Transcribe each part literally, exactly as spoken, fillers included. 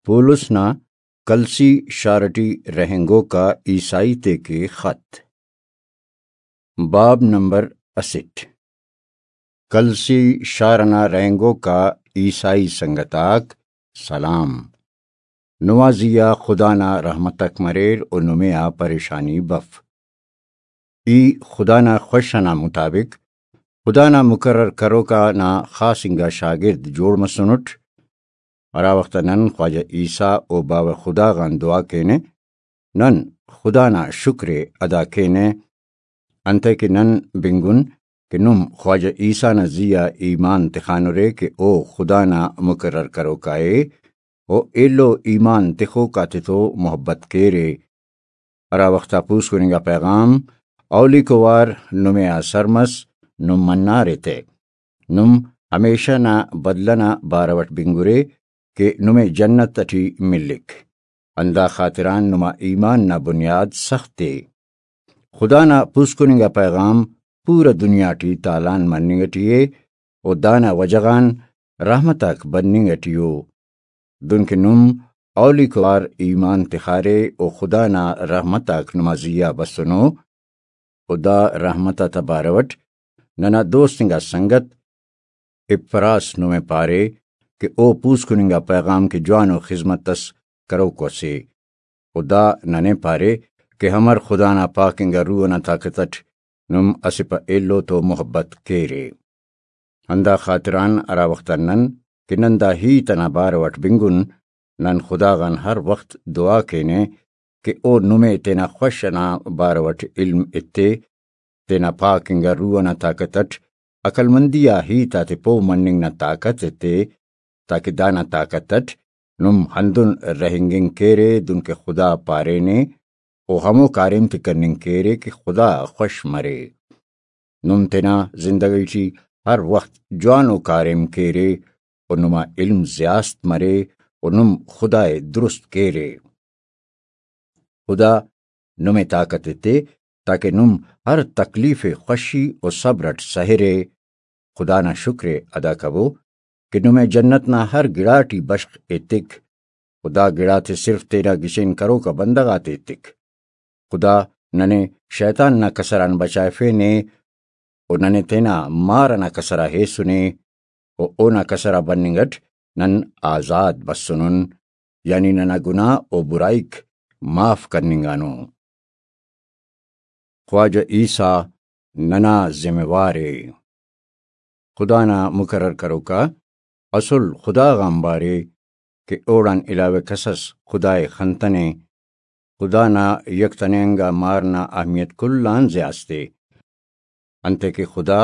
پولس نا کلسی شار ٹی رہینگوک آ عیسائی تیکے خط۔ باب نمبر اسٹ۔ کلسی شار ئنا رہینگوک آ عیسائی سنگت آک، سلام۔ نما زی آ خدا نا رحمتک مریر و نمے آ پریشانی بف۔ ای خدا نا خوش ئنا مطابق خدا نا مقرر کروکا نا خاص انگا شاگرد جوڑ مسنٹ۔ ہرا وخت نن خواجہ عیسیٰ و باوہ خدا غان دعا کینہ، نن خدا نا شکر ءِ ادا کینہ، انتئے کہ نن بنگن کہ نم خواجہ عیسیٰ نا زی آ ایمان تخانرے کہ او خدا نا مقرر کروکا ءِ و ایلو ایمان تخوک آتتو محبت کیرے۔ ہرا وخت آ پوسکن انگا پیغام اولیکو وار نمے آ سر مس، نم منارے تہ۔ نم ہمیشہ نا بدلہ نا بارو اٹ بنگرے کہ نمے جنت اٹی ملک۔ ہندا خاطران نما ایمان نا بنیاد سخت ءِ۔ خدا نا پوسکن انگا پیغام پورا دنیا ٹی تالان مننگ اٹی ءِ و دانا وجہ غان رحمت آک بننگ اٹی ءُ۔ دنکہ نم اولیکو وار ایمان تخارے و خدا نا رحمت آک نما زی آ بسنو، و دا رحمت آتا بارو اٹ ننا دوست انگا سنگت اپراس نمے پارے کہ او پوسکن انگا پیغام کہ جوانو خذمت اس کروکو اسے، و دا ننے پارے کہ امر خدا نا پاک انگا روح ئنا طاقت اٹ نم اسہ پہ ایلو تو محبت کیرے۔ ہندا خاطران ہرا وخت آ نن کہ نن دا ہیت ئنا بارو اٹ بنگن، نن خدا غان ہر وخت دعا کینہ کہ او نمے تینا خوش ئنا بارو اٹ علم ایتے، تینا پاک انگا روح ئنا طاقت اٹ عقلمندی آ ہیت آتے پہہ مننگ نا طاقت ایتے، تاکہ دانا طاقت اٹ نم ہندن رہینگنگ کیرے دنکہ خدا پارینے، و ہمو کاریم تے کننگ کیرے کہ خدا خوش مرے۔ نم تینا زندگی ٹی ہر وخت جوانو کاریم کیرے و نما علم زیاست مرے و نم خدا ءِ درست کیرے۔ خدا نمے طاقت ایتے تاکہ نم ہر تکلیف ءِ خوشی و صبر اٹ سہرے۔ خدا نا شکر ءِ ادا کبو کہ نمے جنت نا ہر گڑاٹی بشخ ایتک۔ و دا گڑاتے صرف تینا گچین کروکا بندغ آتے ایتک۔ خدا ننے شیطان نا کسر آن بچائفینے و ننے تینا مار ئنا کسر آ ہیسنے و اونا کسر آ بننگ اٹ نن آزاد بسنن، یعنی ننا گناہ و برائیک معاف کننگانو۔ خواجہ عیسیٰ ننا ذمہ وار ءِ۔ خدا نا مقرر کروکا اسل خدا غان بارے کہ اوڑان علاوہ کس اس خدا ءِ خنتنے۔ خدا نا یک تنینگا مار نا اہمیت کل آن زیاست ءِ، انتئے کہ خدا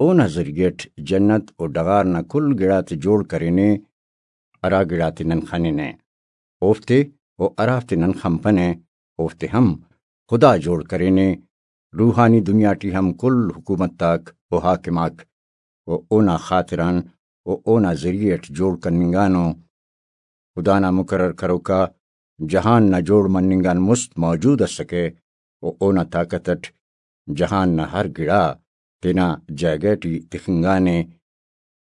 اونا ذریعہ اٹ جنت و ڈغار نا کل گڑاتے جوڑ کرینے، ہرا گڑاتے نن خننہ، اوفتے و ہرافتے نن خنپنہ، اوفتے ہم خدا جوڑ کرینے۔ روحانی دنیا ٹی ہم کل حکومت آک و حاکم آک و اونا خاطران و اونا ذریعہ اٹ جوڑ کننگانو۔ خدا نا مقرر کروکا جہان نا جوڑ مننگ آن مست موجود اسکہ و اونا طاقت اٹ جہان نا ہر گڑا تینا جاگہ ٹی تخنگانے۔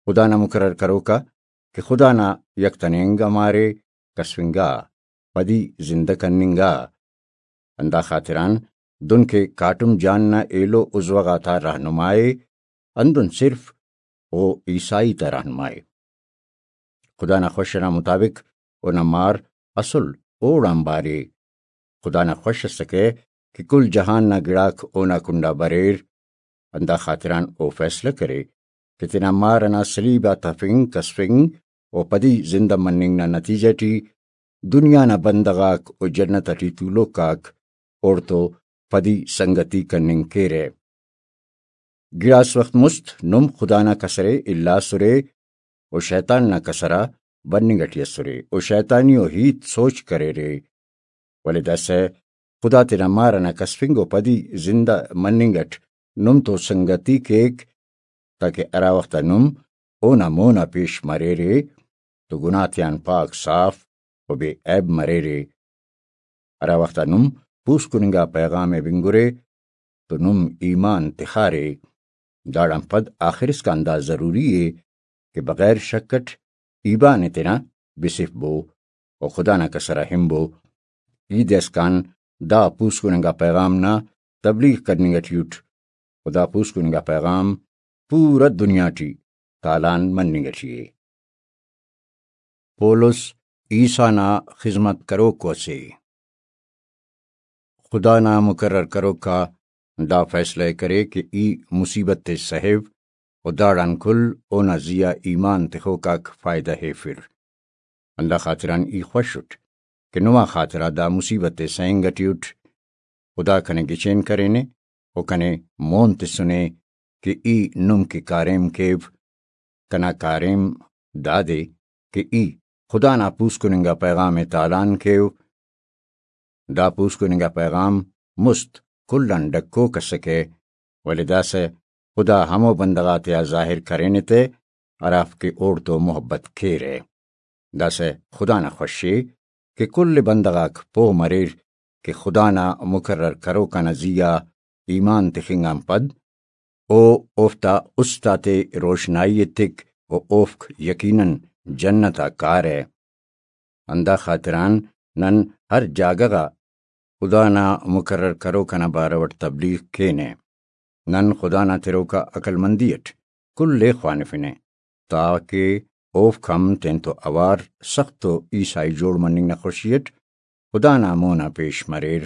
خدا نا مقرر کروکا کہ خدا نا یک تنینگا مارے کسفنگا، پدی زندہ کننگا۔ ہندا خاطران دن کہ کاٹم جان نا ایلو عضوہ غاتا رہنما ءِ، ہندن صرف او عیسائی تا رہنما ءِ۔ خدا نا خوش ئنا مطابق اونا مار اسل اوڑان بارے۔ خدا نا خوش اسکہ کہ کل جہان نا گڑاک اونا کنڈا بریر۔ ہندا خاطران او فیصلہ کرے کہ تینا مار ئنا صلیب آ تفنگ، کسفنگ و پدی زندہ مننگ نا نتیجہ ٹی دنیا نا بندغ آک و جنت ٹی تولوک آک اوڑتو پدی سنگتی کننگ کیرہ۔ گڑاس وخت مست نم خدا نا کسر ءِ الاسرے و شیطان نا کسر آ بننگ ٹی اسرے و شیطانی و ہیت سوچ کریرے، ولے داسہ خدا تینا مار ئنا کسفنگ و پدی زندہ مننگ اٹ نم تو سنگتی کیک، تاکہ ہرا وخت آ نم اونا مون آ پیش مریرے تو گناہ تیان پاک صاف و بے عیب مریرے۔ ہرا وخت آ نم پوسکن انگا پیغام ءِ بنگرے تو نم ایمان تخارے۔ داڑان پد آخر اسکان دا ضروری ءِ کہ بغیر شک اٹ ایبان ءِ تینا بسفبو۔ و خدا نا کسر آ ہنبو۔ ای دے اسکان دا پوسکن انگا پیغام نا تبلیغ کننگ ٹی اٹ، و دا پوسکن انگا پیغام پورا دنیا ٹی تالان مننگ ٹی ءِ۔ پولس عیسیٰ نا خذمت کروکو اسے۔ خدا نا مقرر کروک آ دا فیصلہ ءِ کرے کہ ای مصیبت ءِ سہیو و داڑان کل اونا زی آ ایمان تخوک آک فائدہ ہیفر۔ ہندا خاطران ای خوش اٹ کہ نما خاطرا دا مصیبت ءِ سہنگ ٹی اٹ۔ خدا کنے گچین کرینے و کنے مون تسنے کہ ای نم کہ کاریم کیو۔ کنا کاریم دادے کہ ای خدا نا پوسکن انگا پیغام ءِ تالان کیو۔ دا پوسکن انگا پیغام مست کل آن ڈکوک اسکہ، ولے داسہ خدا ہمو بندغ آتیا ظاہر کرینے تہ ہرافک اوڑتو محبت کیرہ۔ داسہ خدا نا خوشی ءِ کہ کل بندغ آک پہہ مریر کہ خدا نا مقرر کروک آ نا زی آ ایمان تخنگ آن پد او اوفتا است آتے روشنائی ایتک و اوفک یقیناً جنت آ کارہ۔ ہندا خاطران نن ہر جاگہ غا خدا نا مقرر کروک آ نا بارو اٹ تبلیغ کینہ۔ نن خدا نا تروکا عقلمندی اٹ کل ءِ خوانفنہ، تاکہ اوفک ہم تینتو اوار سخت و عیسائی جوڑ مننگ نا خوشی اٹ خدا نا مون آ پیش مریر۔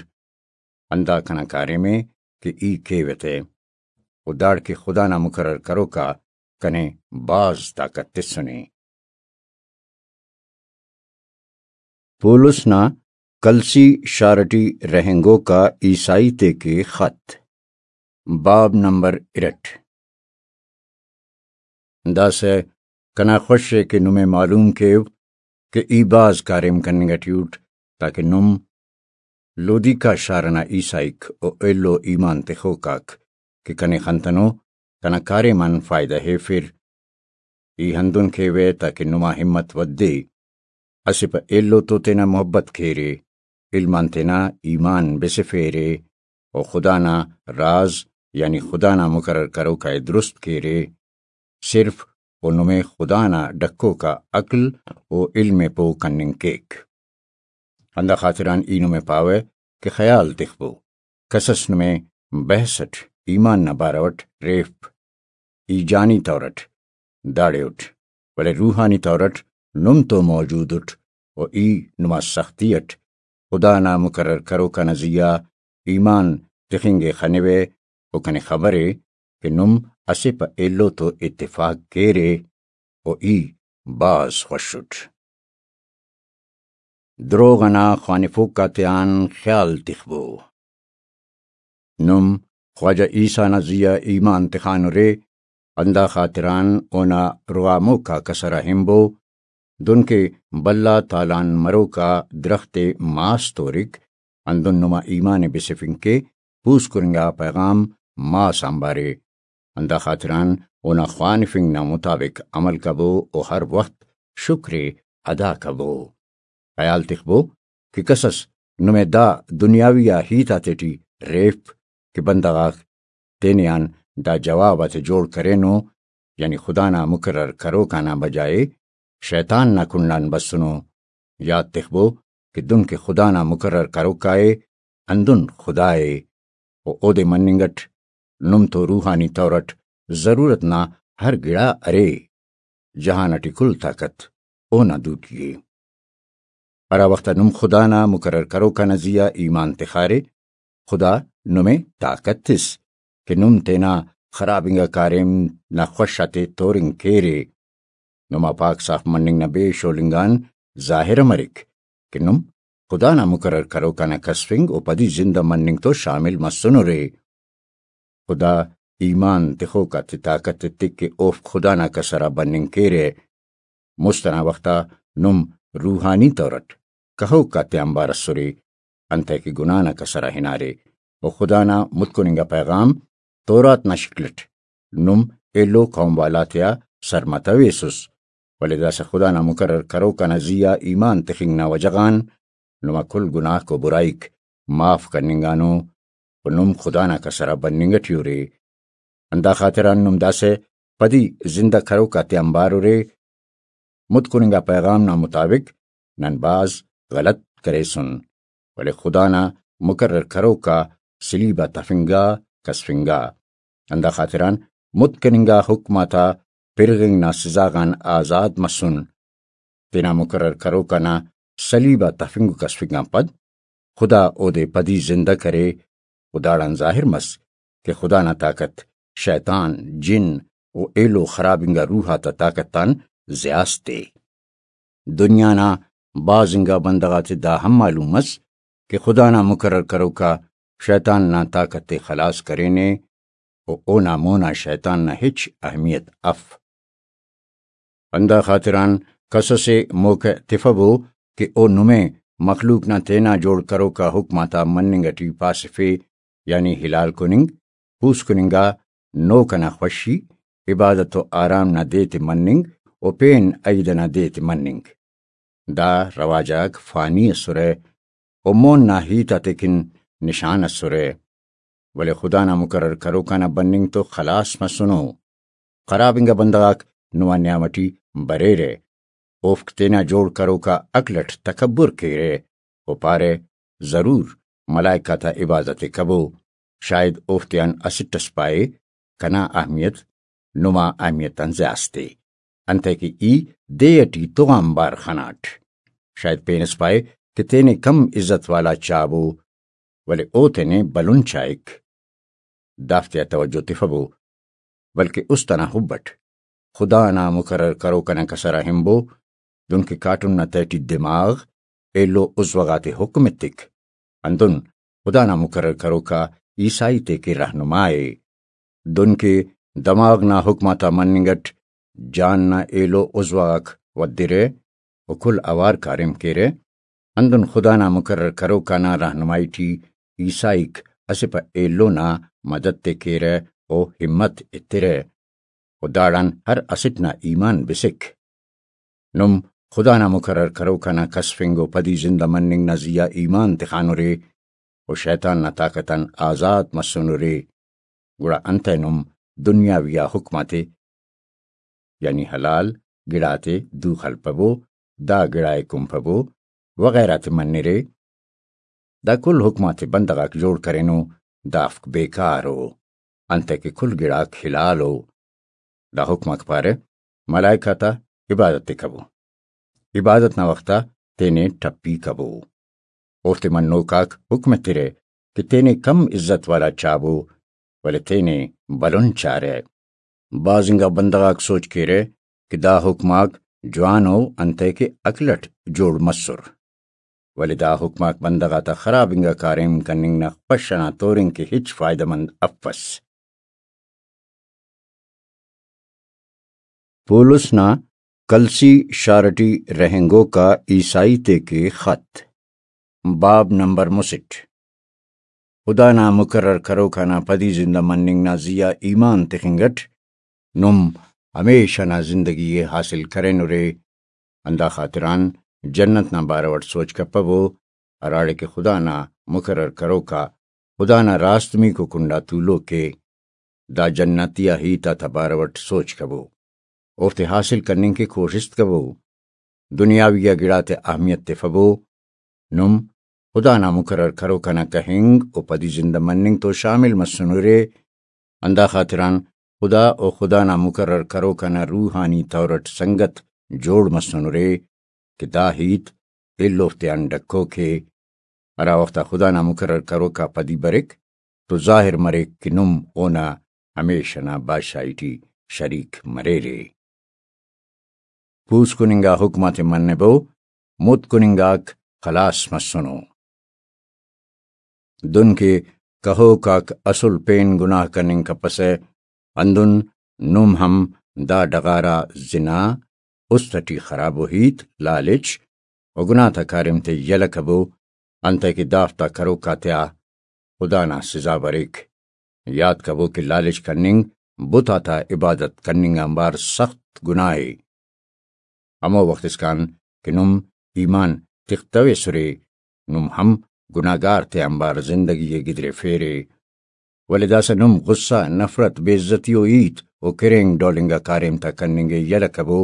ہندا کنا کاریم ءِ کہ ای کیوہ تہ، و داڑکہ خدا نا مقرر کروک آ کنے بھاز طاقت تسنے۔ پولس نا کلسی شار ٹی رہینگوک آ عیسائی تیکہ خط، باب نمبر ارٹ۔ داسہ کنا خوش ءِ کہ نمے معلوم کیو کہ ای بھاز کاریم کننگ ٹی اٹ، تاکہ نم لودیکا شار ئنا عیسائیک و ایلو ایمان تخوک آک کہ کنے خنتنو، کنا کاریم آن فائدہ ہیفر۔ ای ہندن کیوہ تاکہ نما ہمت ودے۔ اسہ پہ ایلو تو تینا محبت کیرے، علم آن تینا ایمان بسفیرے، و خدا نا راز، یعنی خدا نا مقرر کروکا ءِ درست کیرے۔ صرف او نمے خدا نا ڈکوکا عقل و علم ءِ پہہ کننگ کیک۔ ہندا خاطران ای نمے پاوہ کہ خیال تخبو، کسس نمے بحث اٹ ایمان نا بارو اٹ ریفپ۔ ای جانی طور اٹ داڑے اٹ، ولے روحانی طور اٹ نم تو موجود اٹ، و ای نما سختی اٹ خدا نا مقرر کروکا نا زی آ ایمان تخنگ ءِ خنوہ، و کنے خبر ءِ کہ نم اسہ پہ ایلو تو اتفاق کیرے، و ای بھاز خوش اٹ۔ دروغ ئنا خوانفوک آتیان خیال تخبو۔ نم خواجہ عیسیٰ نا زی آ ایمان تخانرے، ہندا خاطران اونا رغاموک آ کسر آ ہنبو، دنکہ بھلا تالان مروک آ درخت ءِ ماس تورک، ہندن نما ایمان ءِ بسفنگ کے پوسکن انگا پیغام ماس آنبارے۔ ہندا خاطران اونا خوانفنگ نا مطابق عمل کبو و ہر وخت شکر ءِ ادا کبو۔ خیال تخبو کہ کسس نمے دا دنیاوی آ ہیت آتیٹی ریفپ کہ بندغ آک تینے آن دا جواب آتے جوڑ کرینو، یعنی خدا نا مقرر کروکا نا بجائے شیطان نا کنڈ آن بسنو۔ یات تخبو کہ دن کہ خدا نا مقرر کروکا ءِ، ہندن خدا ءِ، و اودے مننگ اٹ نم تو روحانی طور اٹ ضرورت نا ہر گڑا ارے۔ جہان اٹی کل طاقت اونا دوٹی ءِ۔ ہرا وخت آ نم خدا نا مقرر کروکا نا زی آ ایمان تخارے، خدا نمے طاقت تس کہ نم تینا خراب انگا کاریم نا خوش آتے تورنگ کیرے۔ نما پاک صاف مننگ نا بے شولنگ آن ظاہر مریک کہ نم خدا نا مقرر کروکا نا کسفنگ و پدی زندہ مننگ تو شامل مسنرے۔ خدا ایمان تخوک آتے طاقت ایتک کہ اوفک خدا نا کسر آ بننگ کیرہ۔ مست ئنا وخت آ نم روحانی طور اٹ کہوک آتے آنبار اسرے، انتئے کہ گناہ نا کسر آ ہنارے، و خدا نا متکن انگا پیغام تورات نا شکل اٹ نم ایلو قوم والا تیا سر متویسس، ولے داسہ خدا نا مقرر کروکا نا زی آ ایمان تخنگ نا وجہ غان نما کل گناہک و برائیک معاف کننگانو، و نم خدا نا کسر آ بننگ ٹی ارے۔ ہندا خاطران نم داسہ پدی زندہ کروک آتے آنبار ارے۔ متکن انگا پیغام نا مطابق نن بھاز غلط کریسن، ولے خدا نا مقرر کروک آ سلیب آ تفنگا، کسفنگا۔ ہندا خاطران متکن انگا حکم آتا پرغنگ نا سزا غان آزاد مسن۔ تینا مقرر کروک آ نا سلیب آ تفنگ و کسفنگ آن پد خدا اودے پدی زندہ کرے و داڑان ظاہر مس کہ خدا نا طاقت شیطان، جن و ایلو خراب انگا روح آتا طاقت آن زیات تے۔ دنیا نا بھاز انگا بندغ آتے دا ہم معلوم مس کہ خدا نا مقرر کروکا شیطان نا طاقت ءِ خلاص کرینے و اونا مونا شیطان نا ہچ اہمیت اف۔ ہندا خاطران کس اسے موقع تفبو کہ او نمے مخلوق نا تینا جوڑ کروکا حکم آتا مننگ اٹی پاسفے، یعنی حلال کننگ، پوسکننگا نوک ئنا خوشی، عبادت و آرام نا دے تے مننگ و پین عئید ئنا دے تے مننگ۔ دا رواج آک فانی ئسرہ و مون نا ہیت آتیکن نشان ئسرہ، ولے خدا نا مقرر کروکا نا بننگ تو خلاس مسنو۔ خراب انگا بندغ آک نما نیام اٹی بریرہ، اوفک تینا جوڑ کروکا عقل اٹ تکبر کیرہ و پارہ، ضرور ملائکہ تا عبادت ءِ کبو، شاید اوفتیان اسٹ ئس پائے، کنا اہمیت نما اہمیت آن زیات ءِ، انتئے کہ ای دے ٹی تغ آنبار خناٹ۔ شاید پین ئس پائے کہ تینے کم عزت والا چابو، ولے او تینے بھلن چائک۔ دافتیا توجہ تفبو، بلکہ است ئنا حب اٹ خدا نا مقرر کروک ئنا کسر آ ہنبو، دنکہ کاٹم نا تہٹی دماغ، ایلو عضو غاتے حکم ایتک۔ ہندن خدا نا مقرر کروکا عیسائی تے کہ رہنما ءِ۔ دنکہ دماغ نا حکم آتا مننگ اٹ جان نا ایلو عضو غاک ودرہ و کل اوار کاریم کیرہ، ہندن خدا نا مقرر کروکا نا رہنمائی ٹی عیسائیک اسہ پہ ایلو نا مدد تے کیرہ و ہمت ایترہ و داڑان ہر اسٹ نا ایمان بسک۔ نم خدا نا مقرر کروکا نا کسفنگ و پدی زندہ مننگ نا زیہا ایمان تخانرے و شیطان نا طاقت آن آزاد مسنرے، گڑا انتئے نم دنیاوی آ حکم آتے، یعنی حلال گڑاتے دو خلپبو، دا گڑائے کنپبو وغیرہ تے منرے؟ دا کل حکم آتے بندغ آک جوڑ کرینو، دافک بیکار ءُ، انتئے کہ کل گڑاک حلال ءُ۔ دا حکم آک پارہ، ملائکہ تا عبادت تے کبو، عبادت نا وخت آ تینے ٹپی کبو۔ اوفتے منوک آک حکم ایترہ کہ تینے کم عزت والا چابو، ولے تینے بھلن چارہ۔ بھاز انگا بندغ آک سوچ کیرہ کہ دا حکم آک جوان ءُ، انتئے کہ عقل اٹ جوڑ مسر، ولے دا حکم آک بندغ آتا خراب انگا کاریم کننگ نا خوش ئنا تورن کہ ہچ فائدہ مند افس۔ پولس نا کلسی شار ٹی رہینگوک آ عیسائی تے کہ خط، باب نمبر مسٹ۔ خدا نا مقرر کروکا نا پدی زندہ مننگ نا زیہا ایمان تخنگ اٹ نم ہمیشہ نا زندگی ءِ حاصل کرینرے۔ ہندا خاطران جنت نا بارو اٹ سوچ کپبو، ہراڑے کہ خدا نا مقرر کروکا خدا نا راست میکو کنڈا تولوک ءِ۔ دا جنتی آ ہیت آتا بارو اٹ سوچ کبو، اوفتے حاصل کننگ کہ کوشست کبو، دنیاوی آ گڑاتے اہمیت تفبو۔ نم خدا نا مقرر کروکا نا کہنگ و پدی زندہ مننگ تو شامل مسنرے۔ ہندا خاطران خدا و خدا نا مقرر کروکا نا روحانی طور اٹ سنگت جوڑ مسنرے کہ دا ہیت ایلوفتیان ڈکوک ءِ۔ ہرا وخت آ خدا نا مقرر کروکا پدی بریک تو ظاہر مریک کہ نم اونا ہمیشہ نا بادشاہی ٹی شریک مریرے۔ پوسکن انگا حکم آتے منبو، متکن انگاک خلاس مسنو۔ دن کہ کہوک آک اسل پین گناہ کننگ کپسہ، ہندن نم ہم دا ڈغار آ زنا، است ٹی خراب و ہیت، لالچ و گناہ تا کاریم تے یلہ کبو، انتئے کہ دافتا کروک آتیا خدا نا سزا بریک۔ یات کبو کہ لالچ کننگ، بت آتا عبادت کننگ آنبار سخت گناہ ءِ۔ ہمو وخت اسکان کہ نم ایمان تختویسرے، نم ہم گناہگار تے آنبار زندگی ءِ گدریفیرے، ولے داسہ نم غصہ، نفرت، بے عزتی و ہیت و کرینگ ڈول انگا کاریم تا کننگ ءِ یلہ کبو۔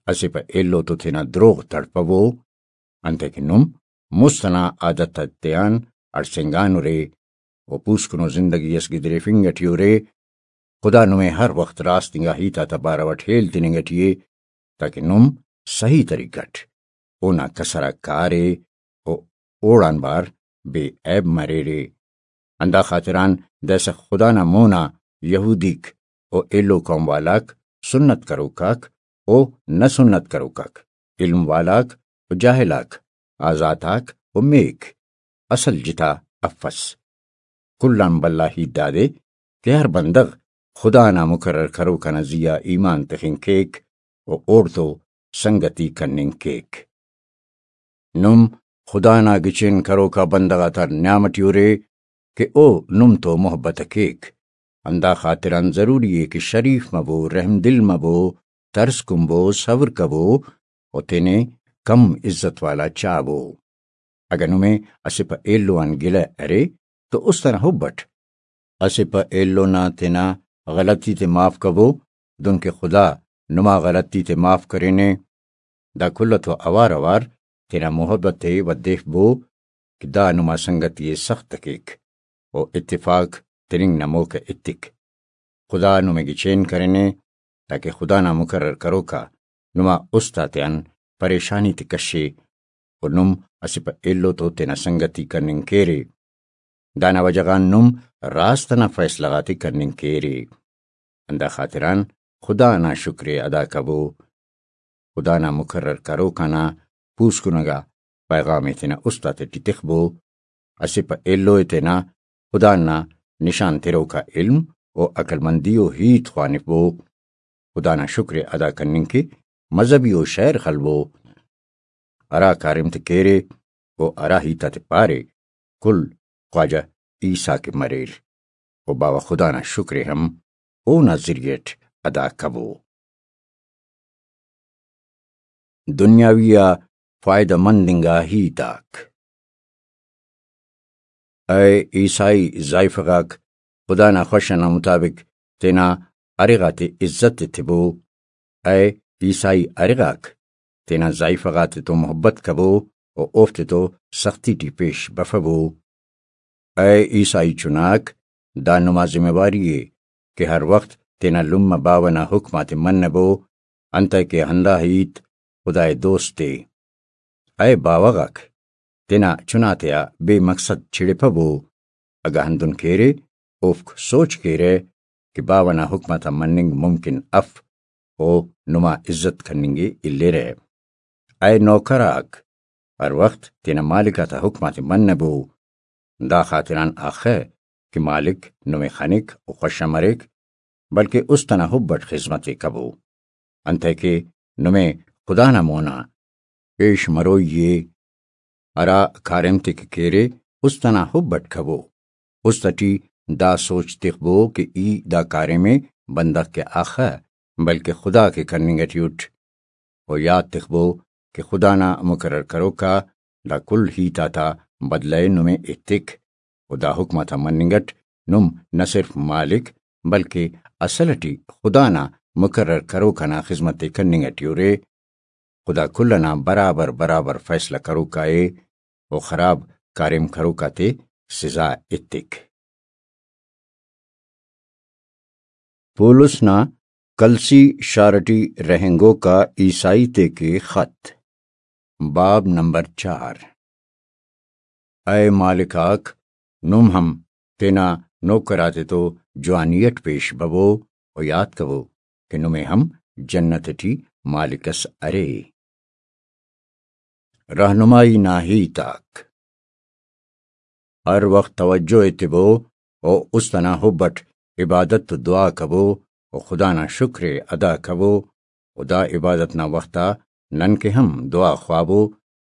اسہ پہ ایلو تو تینا دروغ تڑپبو، انتئے کہ نم مست ئنا عادت آتیان اڑسینگانرے و پوسکنو زندگی اس گدریفنگ ٹی ارے۔ خدا نمے ہر وخت راست انگا ہیت آتا بارو اٹ ہیل تننگ ٹی ءِ، تاکہ نم صحیح طریقہ اٹ اونا کسر آ کارے و اوڑان بار بے عیب مریرے۔ ہندا خاطران داسہ خدا نا مونا یہودیک و ایلو قوم والاک، سنت کروکاک و نہ سنت کروکاک، علم والاک و جاہلاک، آزات آک و میک، اصل جتا افس۔ کل آن بھلا ہیت دادے کہ ہر بندغ خدا نا مقرر کروک آ نا زیہا ایمان تخنگ کیک و اوڑتو سنگتی کننگ کیک۔ نم خدا نا گچین کروکا بندغ آتا نیام ٹی ارے کہ او نم تو محبت ءِ کیک۔ ہندا خاطران ضروری ءِ کہ شریف مبو، رحم دل مبو، ترس کنبو، صبر کبو و تینے کم عزت والا چابو۔ اگہ نمے اسہ پہ ایلو آن گلہ ارے تو است ئنا حب اٹ اسہ پہ ایلو نا تینا غلطی تے معاف کبو، دنکہ خدا نما غلطی تے معاف کرینے۔ دا کل تو اوار اوار تینا محبت ءِ ودیفبو کہ دا نما سنگتی ءِ سخت کیک و اتفاق تننگ نا موقع ایتک۔ خدا نمے گچین کرینے، تاکہ خدا نا مقرر کروکا نما است آتیان پریشانی تے کشے و نم اسہ پہ ایلو تو تینا سنگتی کننگ کیرے۔ دانا وجہ غان نم راست ئنا فیصلہ غاتے کننگ کیرے۔ ہندا خاطران خدا نا شکر ءِ ادا کبو۔ خدا نا مقرر کروک آنا پوسکنگا پیغام ءِ تینا است آتیٹی تخبو۔ اسہ پہ ایلو ءِ تینا خدا نا نشان تروکا علم و عقل مندی و ہیت خوانفبو۔ خدا نا شکر ءِ ادا کننگ کہ مذہبی و شعر خلبو۔ ہرا کاریم تے کیرے و ہرا ہیت آتے پارے، کل خواجہ عیسیٰ کے مریر و باوہ خدا نا شکر ءِ ہم اونا ذریعہ اٹ ادا کبو۔ دنیاوی آ فائدہ مند انگا ہیت آک۔ اے عیسائی ذائیفہ غاک، خدا نا خوش ئنا مطابق تینا ارے غاتے عزت ایتبو۔ اے عیسائی ارے غاک، تینا ذائیفہ غاتے تو محبت کبو و اوفتے تو سختی ٹی پیش بفبو۔ اے عیسائی چناک، دا نما ذمہ واری ءِ کہ ہر وخت تینا لمہ باوہ نا حکم آتے منبو، انتئے کہ ہندا ہیت خدائے دوست ءِ۔ اے باوہ غاک، تینا چناتیا بے مقصد چڑپبو۔ اگہ ہندن کیرے، اوفک سوچ کیرہ کہ باوہ نا حکم آتا مننگ ممکن اف، او نما عزت کننگ ءِ الیرہ۔ اے نوکر آک، ہر وخت تینا مالک آتا حکم آتے منبو۔ دا خاطران اخہ کہ مالک نمے خنک و خوش مریک، بلکہ است ئنا حب اٹ خذمت ءِ کبو۔ انتئے کہ نمے خدا نا مونا پیش مروئی ءِ۔ ہرا کاریم تے کہ کیرے، است ئنا حب اٹ کبو۔ است ٹی دا سوچ تخبو کہ ای دا کاریم ءِ بندغ کہ اخہ، بلکہ خدا کہ کننگ ٹی اٹ۔ و یات تخبو کہ خدا نا مقرر کروکا دا کل ہیت آتا بدلہ ءِ نمے ایتک۔ و دا حکم آتا مننگ اٹ نم نہ صرف مالک، بلکہ اصل ٹی خدا نا مقرر کروک ئنا خذمت ءِ کننگ ٹی ارے۔ خدا کل ئنا برابر برابر فیصلہ کروکا ءِ و خراب کاریم کروک آتے سزا ایتک۔ پولس نا کلسی شار ٹی رہینگوکا عیسائی تے کہ خط، باب نمبر چار۔ اے مالک آک، نم ہم تینا نوکر آتے تو جوانی اٹ پیش ببو و یات کبو کہ نمے ہم جنت ٹی مالک اس ارے۔ رہنمائی نا ہیت آک۔ ہر وخت توجہ ایتبو و است ئنا حب اٹ عبادت و دعا کبو و خدا نا شکر ءِ ادا کبو و دا عبادت نا وخت آ نن کہ ہم دعا خوابو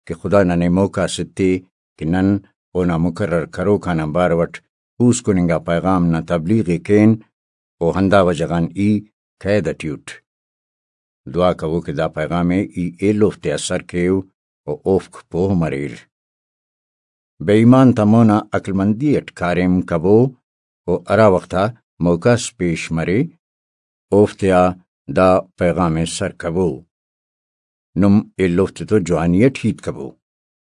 کہ خدا ننے موقع اس ایتے کہ نن اونا مقرر کروک آنا بارو اٹ پوسکن انگا پیغام نا تبلیغ ءِ کین و ہندا وجہ غان ای قید ٹی اٹ۔ دعا کبو کہ دا پیغام ءِ ای ایلوفتیا سر کیو و اوفک پوہ مریر۔ بے ایمان تا مونا عقل مندی اٹ کاریم کبو و ہرا وخت آ موقع اس پیش مرے، اوفتیا دا پیغام ءِ سر کبو۔ نم ایلوفتے تو جوانی اٹ ہیت کبو۔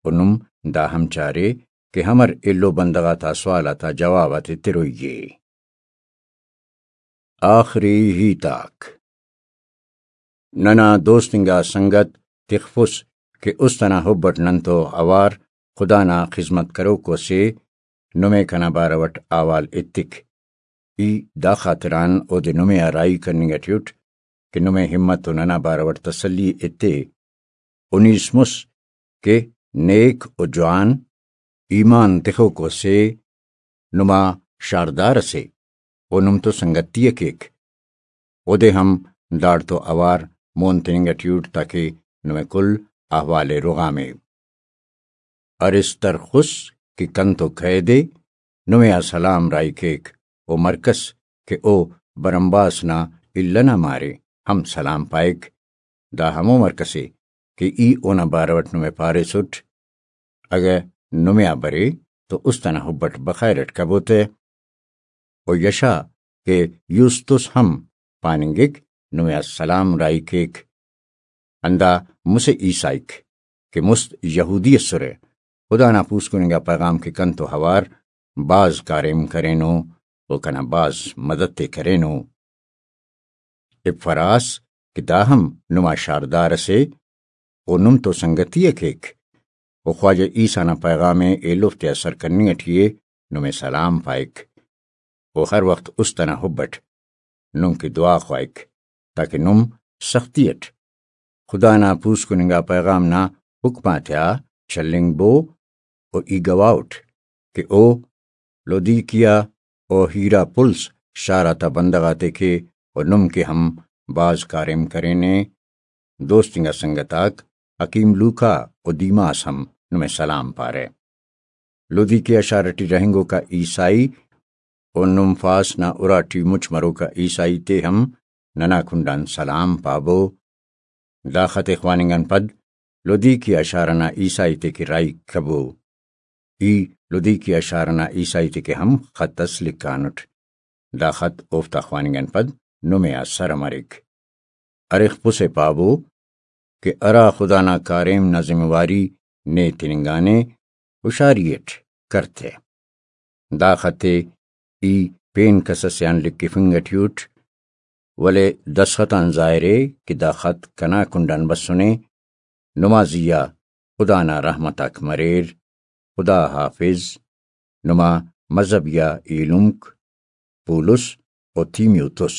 و نم دا ہم چارے کہ ہمر ایلو بندغ آتا سوال آتا جواب آتے تروئی ءِ۔ آخری ہیت آک۔ ننا دوست انگا سنگت تخفس کہ است ئنا حب اٹ نن تو اوار خدا نا خذمت کروکو سے، نمے کنا بارو اٹ احوال ایتک۔ ای دا خاطران اودے نمے آ راہی کننگ اٹی اٹ کہ نمے ہمت و ننا بارو اٹ تسلی ایتے۔ انیس مس کہ نیک و جوان ایمان تخوکو سے نما شاردار اسے و نم تو سنگتی ءِ کیک۔ اودے ہم داڑتو اوار مون تننگ اٹی اٹ تاکہ نمے کل احوال ءِ رغامے۔ ارس ترخس کہ کنتو قید ءِ، نمے آ سلام راہی کیک و مرکس کہ او برمباس نا الہ نا مارے ہم سلام پائک۔ دا ہمو مرکس ءِ کہ ای اونا بارو اٹ نمے پاریسٹ۔ اگہ نمے آ برے تو است ئنا حب اٹ بخیر اٹ کبو تہ۔ و یشا کہ یوستس ہم پاننگک نمے آ سلام راہی کیک۔ ہندا مسہ عیسائیک کہ مست یہودی ئسرہ، خدا نا پوسکن انگا پیغام کہ کنتو اوار بھاز کاریم کرینو و کنا بھاز مدد تے کرینو۔ افراس کہ دا ہم نما شاردار اسے و نم تو سنگتی ءِ کیک، و خواجہ عیسیٰ نا پیغام ءِ ایلوفتے آ سر کننگ اٹی ءِ، نمے سلام پائک۔ و ہر وخت است ئنا حب اٹ نم کہ دعا خواہک تاکہ نم سختی اٹ خدا نا پوسکن انگا پیغام نا حکم آتیا چلینگ بو۔ و ای گواہ اٹ کہ او لودیکیا و ہیرا پلس شار آتا بندغ آتے کے و نم کہ ہم بھاز کاریم کرینے۔ دوست انگا سنگت آک حکیم لوکا و دیماس ہم نمے سلام پارہ۔ لودیکیا شار ٹی رہینگوکا عیسائی و نمفاس نا اراٹی مچ مروکا عیسائی تے ہم ننا کنڈان سلام پابو۔ دا خط ءِ خواننگ آن پد لودیکیا شار ئنا عیسائی تے کہ راہی کبو۔ ای لودیکیا شار ئنا عیسائی تے کہ ہم خط اس لکھانٹ۔ دا خط اوفتا خواننگ آن پد نمے آ سر مریک۔ ارخ پس ءِ پابو کہ ہرا خدا نا کاریم نا ذمہ واری نے تننگانے، ہشاری اٹ کرتے۔ دا خط ءِ ای پین کس اسے آن لکھفنگ اٹی اٹ، ولے دستخط آن ظاہر ءِ کہ دا خط کنا کنڈان بسنے۔ نما زیہا خدا نا رحمت آک مریر۔ خدا حافظ۔ نما مذہبی آ ایلمک پولس و تیمیوتس۔